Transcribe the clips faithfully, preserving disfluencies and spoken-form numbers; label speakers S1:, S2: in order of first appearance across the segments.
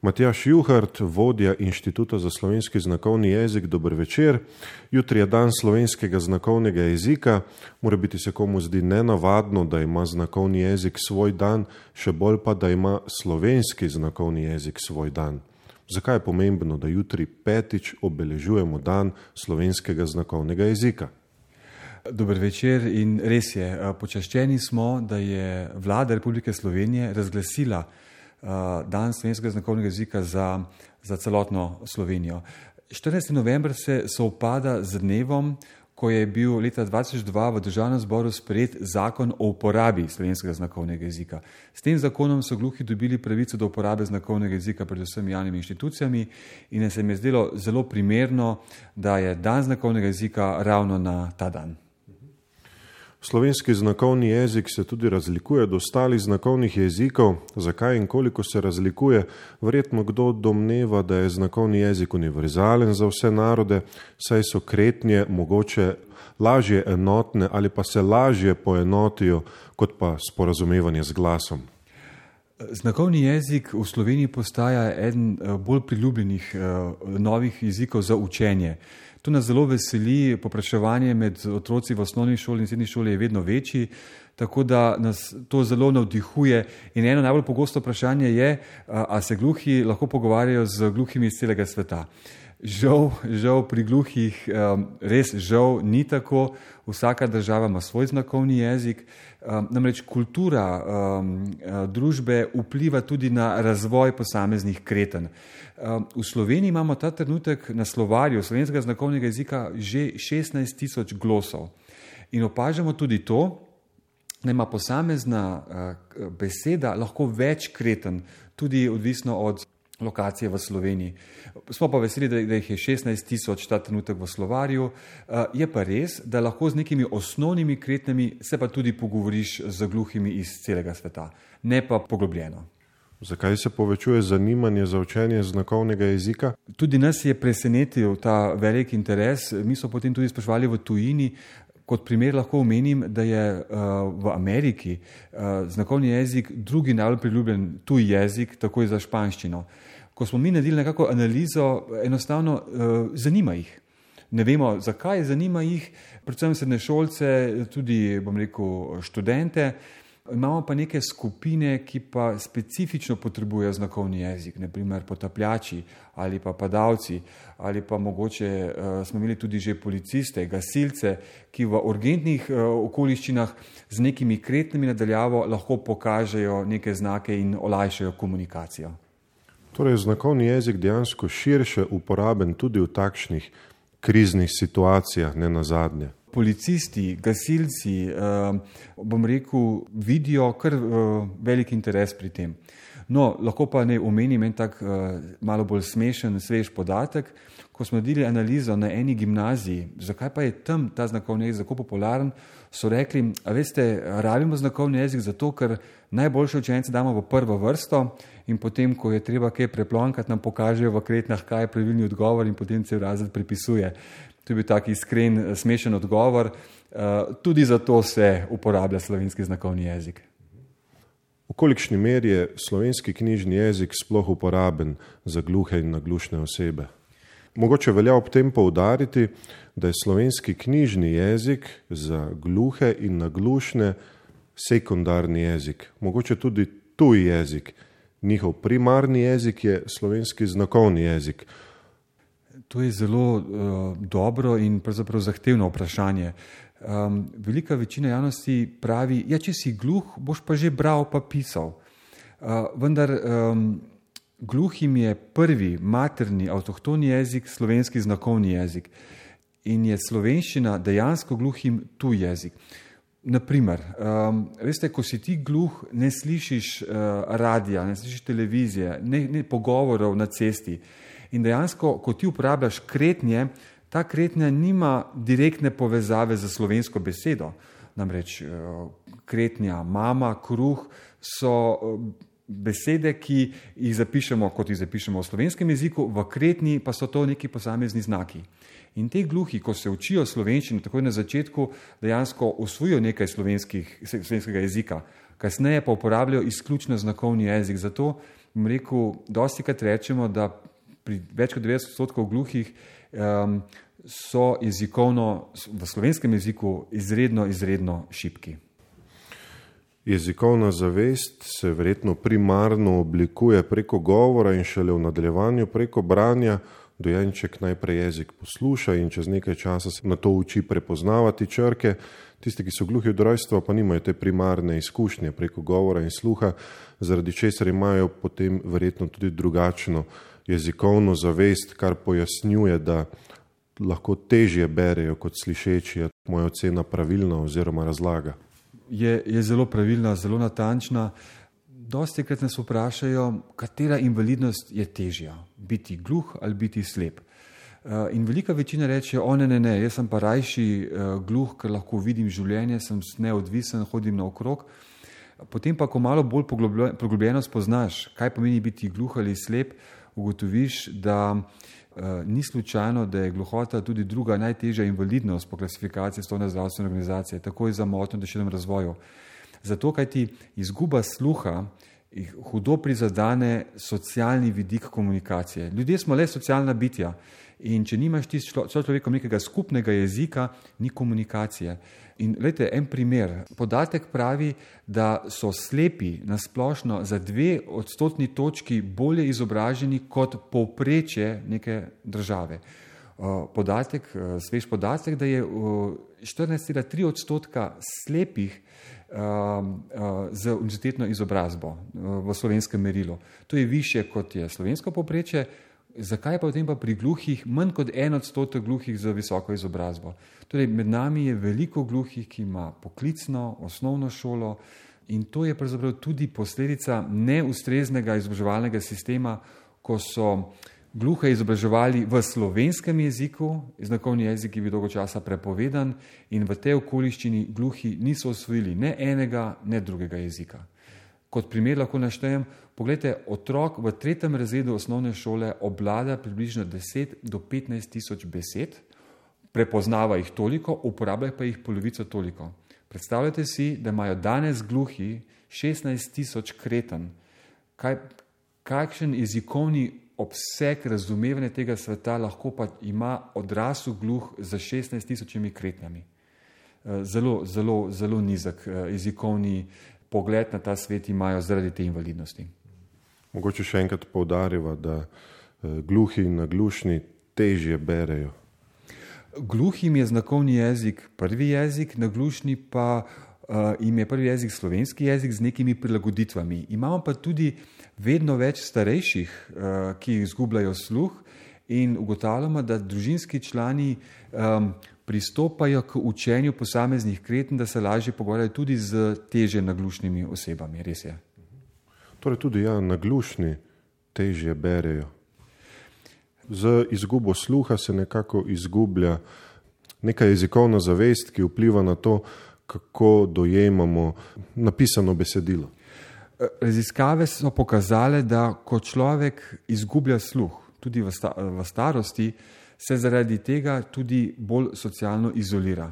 S1: Matjaž Juhart, vodja Inštituta za slovenski znakovni jezik, dober večer. Jutri je dan slovenskega znakovnega jezika. Mora biti se komu zdi nenavadno, da ima znakovni jezik svoj dan, še bolj pa, da ima slovenski znakovni jezik svoj dan. Zakaj je pomembno, da jutri petič obeležujemo dan slovenskega znakovnega jezika?
S2: Dober večer in res je, počaščeni smo, da je Vlada Republike Slovenije razglasila dan slovenskega znakovnega jezika za, za celotno Slovenijo. štirinajsti november se sovpada z dnevom, ko je bil leta dva tisoč dva v Državnem zboru sprejet zakon o uporabi slovenskega znakovnega jezika. S tem zakonom so gluhi dobili pravico do uporabe znakovnega jezika predvsem javnimi inštitucijami in se mi je zdelo zelo primerno, da je dan znakovnega jezika ravno na ta dan.
S1: Slovenski znakovni jezik se tudi razlikuje od ostalih znakovnih jezikov. Zakaj in koliko se razlikuje? Verjetno kdo domneva, da je znakovni jezik univerzalen za vse narode, saj so kretnje mogoče lažje enotne ali pa se lažje poenotijo kot pa sporazumevanje z glasom.
S2: Znakovni jezik v Sloveniji postaja eden bolj priljubljenih novih jezikov za učenje. To nas zelo veseli, povpraševanje med otroci v osnovni šoli in srednji šoli je vedno večji, tako da nas to zelo navdihuje. In eno najbolj pogosto vprašanje je, a se gluhi lahko pogovarjajo z gluhimi iz celega sveta. Žal, žal pri gluhih res žal ni tako, vsaka država ima svoj znakovni jezik, namreč kultura družbe vpliva tudi na razvoj posameznih kretenj. V Sloveniji imamo ta trenutek na slovarju slovenskega znakovnega jezika že šestnajst tisoč glosov in opažamo tudi to, da ima posamezna beseda lahko več kretenj, tudi odvisno od lokacije v Sloveniji. Smo pa veseli, da jih je šestnajst tisoč ta trenutek v slovarju. Je pa res, da lahko z nekimi osnovnimi kretnjami se pa tudi pogovoriš z gluhimi iz celega sveta, ne pa poglobljeno.
S1: Zakaj se povečuje zanimanje za učenje znakovnega jezika?
S2: Tudi nas je presenetil ta velik interes. Mi smo potem tudi spraševali v tujini. Kot primer lahko omenim, da je v Ameriki znakovni jezik drugi najbolj priljubljen tuj jezik, takoj za španščino. Ko smo mi naredili nekako analizo, enostavno zanima jih. Ne vemo, zakaj zanima jih, predvsem srednješolce, tudi, bom rekel, študente. Imamo pa neke skupine, ki pa specifično potrebujejo znakovni jezik, na primer potapljači ali pa padalci, ali pa mogoče uh, smo imeli tudi že policiste, gasilce, ki v urgentnih uh, okoliščinah z nekimi kretnjami nadaljavo lahko pokažejo neke znake in olajšajo komunikacijo.
S1: Torej je znakovni jezik dejansko širše uporaben tudi v takšnih kriznih situacijah, ne nazadnje.
S2: Policisti, gasilci, bom rekel, vidijo kar velik interes pri tem. No, lahko pa ne omenim en tak malo bolj smešen, svež podatek. Ko smo naredili analizo na eni gimnaziji, zakaj pa je tam ta znakovni jezik tako popularen, so rekli, a veste, rabimo znakovni jezik zato, ker najboljše učence damo v prvo vrsto in potem, ko je treba kaj preplonkati, nam pokažejo v kretnjah, kaj je pravilni odgovor in potem cel razred prepisuje. To je bil tak iskren, smešen odgovor. Tudi zato se uporablja slovenski znakovni jezik.
S1: V kolikšni meri je slovenski knjižni jezik sploh uporaben za gluhe in naglušne osebe? Mogoče velja ob tem poudariti, da je slovenski knjižni jezik za gluhe in naglušne sekundarni jezik, mogoče tudi tuj jezik. Njihov primarni jezik je slovenski znakovni jezik.
S2: To je zelo uh, dobro in pravzaprav zahtevno vprašanje. Um, velika večina javnosti pravi, ja, če si gluh, boš pa že bral pa pisal. Uh, vendar um, gluhim je prvi materni avtohtoni jezik slovenski znakovni jezik in je slovenščina dejansko gluhim tuj jezik. Naprimer, um, veste, ko si ti gluh, ne slišiš uh, radija, ne slišiš televizije, ne, ne pogovorov na cesti. In dejansko, ko ti uporabljaš kretnje, ta kretnja nima direktne povezave z slovensko besedo. Namreč kretnja mama, kruh so besede, ki jih zapišemo, kot jih zapišemo v slovenskem jeziku, v kretnji pa so to neki posamezni znaki. In te gluhi, ko se učijo slovenščino, takoj na začetku dejansko usvojijo nekaj slovenskega jezika, kasneje pa uporabljajo izključno znakovni jezik, zato bom rekel, dosti krat rečemo, da pri več kot devetdeset odstotkov gluhih um, so jezikovno, v slovenskem jeziku izredno, izredno šibki.
S1: Jezikovna zavest se verjetno primarno oblikuje preko govora in šele v nadaljevanju preko branja. Dojenček najprej jezik posluša in čez nekaj časa se na to uči prepoznavati črke. Tisti, ki so gluhi od rojstva, pa nimajo te primarne izkušnje preko govora in sluha, zaradi česar imajo potem verjetno tudi drugačno jezikovno zavest, kar pojasnjuje, da lahko težje berejo kot slišeči. Je moja ocena pravilna oziroma razlaga?
S2: Je, je zelo pravilna, zelo natančna. Dosti krat nas vprašajo, katera invalidnost je težja, biti gluh ali biti slep. In velika večina reče, o ne, ne, ne, jaz sem pa rajši gluh, ker lahko vidim življenje, sem neodvisen, hodim naokrog. Potem pa, ko malo bolj poglobljeno spoznaš, kaj pomeni biti gluh ali slep, ugotoviš, da ni slučajno, da je gluhota tudi druga najtežja invalidnost po klasifikaciji Svetovne zdravstvene organizacije, takoj za motnjo v duševnem razvoju. Zato, kaj ti izguba sluha hudo prizadane socialni vidik komunikacije. Ljudje smo le socialna bitja in če nimaš ti s človekom nekega skupnega jezika, ni komunikacije. In glejte, en primer. Podatek pravi, da so slepi nasplošno za dve odstotni točki bolje izobraženi kot povprečje neke države. Podatek, svež podatek, da je štirinajst cela tri odstotka slepih z univerzitetno izobrazbo v slovenskem merilu. To je više, kot je slovensko povprečje. Zakaj pa potem pa pri gluhih manj kot en odstotek gluhih z visoko izobrazbo? Torej, med nami je veliko gluhih, ki ima poklicno, osnovno šolo in to je pravzaprav tudi posledica neustreznega izobraževalnega sistema, ko so gluhe izobraževali v slovenskem jeziku, znakovni jezik je bil dolgo časa prepovedan in v tej okoliščini gluhi niso osvojili ne enega, ne drugega jezika. Kot primer lahko naštejem, poglejte, otrok v tretjem razredu osnovne šole obvlada približno deset do petnajst tisoč besed, prepoznava jih toliko, uporablja pa jih polovico toliko. Predstavljate si, da imajo danes gluhi šestnajst tisoč kreten. Kaj, kakšen jezikovni obseg razumevanja tega sveta lahko pa ima odrasel gluh za šestnajst tisočimi kretnjami? Zelo, zelo, zelo nizek jezikovni pogled na ta svet imajo zaradi te invalidnosti.
S1: Mogoče še enkrat poudarjava, da gluhi in naglušni težje berejo.
S2: Gluhim je znakovni jezik prvi jezik, naglušni pa uh, jim je prvi jezik slovenski jezik z nekimi prilagoditvami. Imamo pa tudi vedno več starejših, uh, ki izgubljajo sluh in ugotavljamo, da družinski člani um, pristopajo k učenju posameznih kreten, da se lažje pogovarjajo tudi z težje naglušnimi osebami. Res je.
S1: Torej tudi ja, naglušni težje berejo. Z izgubo sluha se nekako izgublja neka jezikovna zavest, ki vpliva na to, kako dojemamo napisano besedilo.
S2: Raziskave so pokazale, da ko človek izgublja sluh, tudi v, sta, v starosti, se zaradi tega tudi bolj socialno izolira.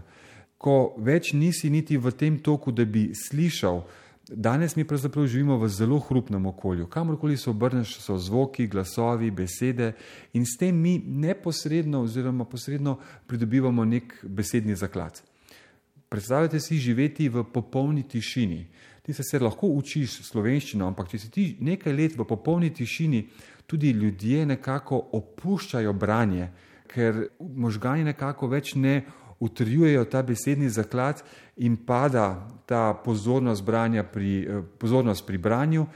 S2: Ko več nisi niti v tem toku, da bi slišal, danes mi pravzaprav živimo v zelo hrupnem okolju. Kamorkoli se obrneš, so zvoki, glasovi, besede in s tem mi neposredno oziroma posredno pridobivamo nek besedni zaklad. Predstavljate si živeti v popolni tišini. Ti se, se lahko učiš slovenščino, ampak če si ti nekaj let v popolni tišini, tudi ljudje nekako opuščajo branje, ker možgani nekako več ne utrjujejo ta besedni zaklad in pada ta pozornost branja pri, pozornost pri branju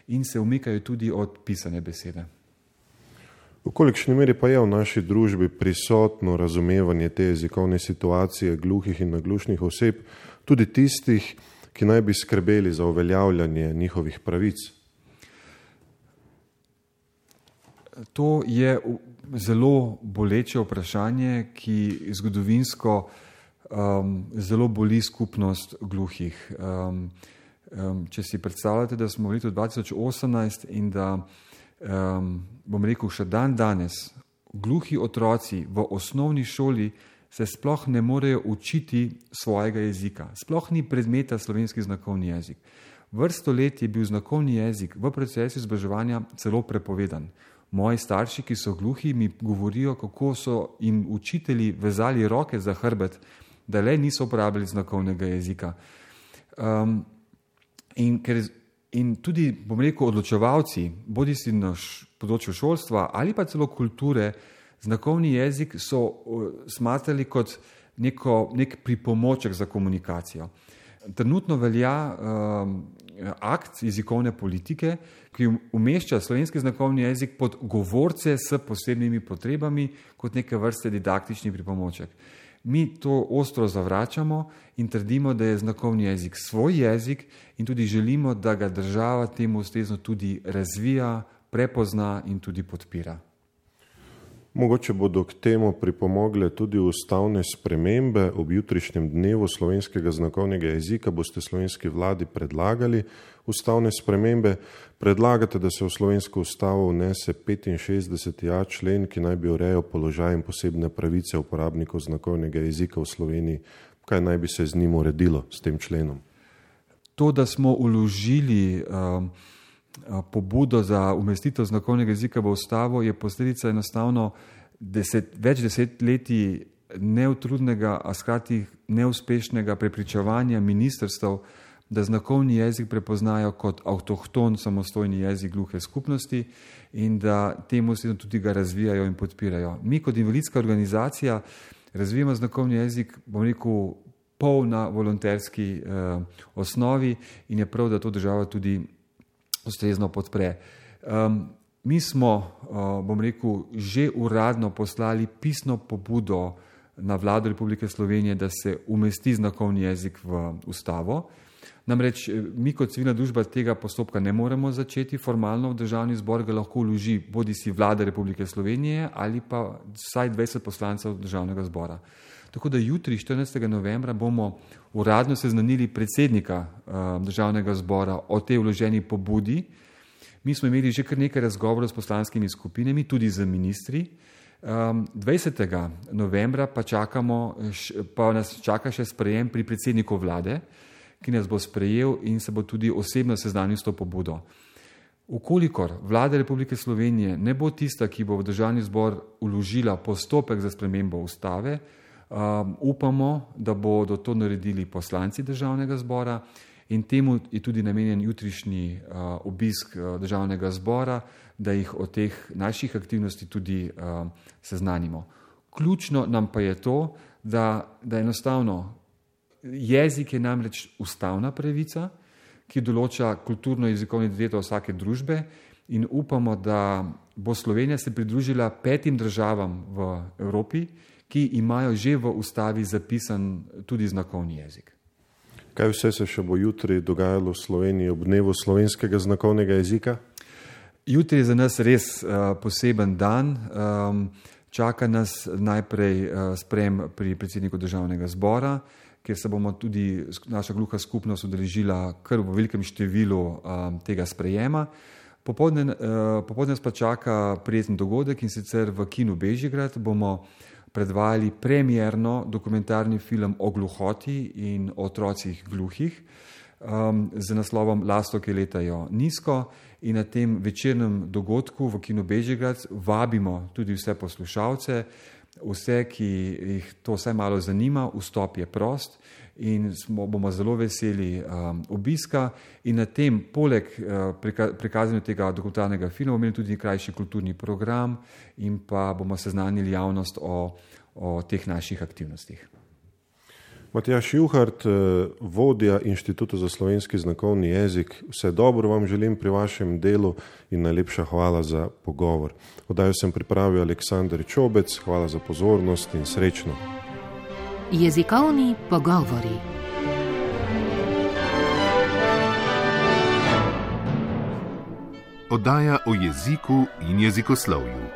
S2: in se umikajo tudi od pisane besede.
S1: V kolikšni meri pa je v naši družbi prisotno razumevanje te jezikovne situacije gluhih in naglušnih oseb, tudi tistih, ki naj bi skrbeli za uveljavljanje njihovih pravic?
S2: To je zelo boleče vprašanje, ki zgodovinsko um, zelo boli skupnost gluhih. Um, um, če si predstavljate, da smo v letu dva tisoč osemnajst in da, um, bom rekel, še dan danes gluhi otroci v osnovni šoli se sploh ne morejo učiti svojega jezika. Sploh ni predmeta slovenski znakovni jezik. Vrsto let je bil znakovni jezik v procesu izobraževanja celo prepovedan. Moji starši, ki so gluhi, mi govorijo, kako so jim učitelji vezali roke za hrbet, da le niso uporabljali znakovnega jezika. Um, in, ker, in tudi, bom rekel, odločevalci, bodi si na področju šolstva ali pa celo kulture, znakovni jezik so uh, smatrali kot neko, nek pripomoček za komunikacijo. Trenutno velja um, akt jezikovne politike, ki umešča slovenski znakovni jezik pod govorce s posebnimi potrebami kot neke vrste didaktični pripomoček. Mi to ostro zavračamo in trdimo, da je znakovni jezik svoj jezik in tudi želimo, da ga država temu ustrezno tudi razvija, prepozna in tudi podpira.
S1: Mogoče bodo k temu pripomogle tudi ustavne spremembe. Ob jutrišnjem dnevu slovenskega znakovnega jezika boste slovenski vladi predlagali ustavne spremembe. Predlagate, da se v slovensko ustavo vnese petinšestdeseti a člen, ki naj bi urejal položaj in posebne pravice uporabnikov znakovnega jezika v Sloveniji. Kaj naj bi se z njim uredilo, s tem členom?
S2: To, da smo vložili um, pobudo za umestitev znakovnega jezika v ustavo, je posledica enostavno deset, več desetletij neutrudnega, a skrati neuspešnega prepričevanja ministrstev, da znakovni jezik prepoznajo kot avtohton samostojni jezik gluhe skupnosti in da temu tudi ga razvijajo in podpirajo. Mi kot invalidska organizacija razvijamo znakovni jezik, bom rekel, pol na volonterski eh, osnovi in je prav, da to država tudi ustrezno podpre. Um, mi smo, uh, bom rekel, že uradno poslali pisno pobudo na vlado Republike Slovenije, da se umesti znakovni jezik v ustavo. Namreč mi kot civilna družba tega postopka ne moremo začeti formalno, v državni zbor ga lahko vloži bodi si vlada Republike Slovenije ali pa vsaj dvajset poslancev državnega zbora. Tako da jutri, štirinajstega novembra, bomo uradno seznanili predsednika uh, državnega zbora o tej vloženi pobudi. Mi smo imeli že kar nekaj razgovorov s poslanskimi skupinami, tudi z ministri. Um, dvajsetega novembra pa, čakamo, pa nas čaka še sprejem pri predsedniku vlade, ki nas bo sprejel in se bo tudi osebno seznanil s to pobudo. Ukolikor vlada Republike Slovenije ne bo tista, ki bo v državni zbor vložila postopek za spremembo ustave, Um, upamo, da bodo to naredili poslanci državnega zbora in temu je tudi namenjen jutrišnji uh, obisk uh, državnega zbora, da jih o teh naših aktivnosti tudi uh, seznanimo. Ključno nam pa je to, da, da enostavno jezik je namreč ustavna pravica, ki določa kulturno jezikovno identiteto vsake družbe in upamo, da bo Slovenija se pridružila petim državam v Evropi, ki imajo že v ustavi zapisan tudi znakovni jezik.
S1: Kaj vse se še bo jutri dogajalo v Sloveniji ob dnevu slovenskega znakovnega jezika?
S2: Jutri je za nas res uh, poseben dan. Um, čaka nas najprej uh, sprejem pri predsedniku državnega zbora, kjer se bomo tudi naša gluha skupnost udeležila kar v velikem številu um, tega sprejema. Popoldne, uh, popoldne nas pa čaka prijeten dogodek in sicer v kinu Bežigrad bomo predvajali premierno dokumentarni film o gluhoti in o otrocih gluhih um, z naslovom Lastovke letajo nizko in na tem večernem dogodku v kinu Bežigrad vabimo tudi vse poslušalce, vse, ki jih to vsaj malo zanima, vstop je prost in smo, bomo zelo veseli um, obiska in na tem poleg uh, preka, prikazanju tega dokumentarnega filma bomo imeli tudi krajši kulturni program in pa bomo seznanili javnost o, o teh naših aktivnostih.
S1: Matjaž Juhart, vodja Inštituta za slovenski znakovni jezik, vse dobro vam želim pri vašem delu in najlepša hvala za pogovor. Oddajo sem pripravil Aleksander Čobec, hvala za pozornost in srečno.
S3: Jezikovni pogovori.
S4: Oddaja o jeziku in jezikoslovju.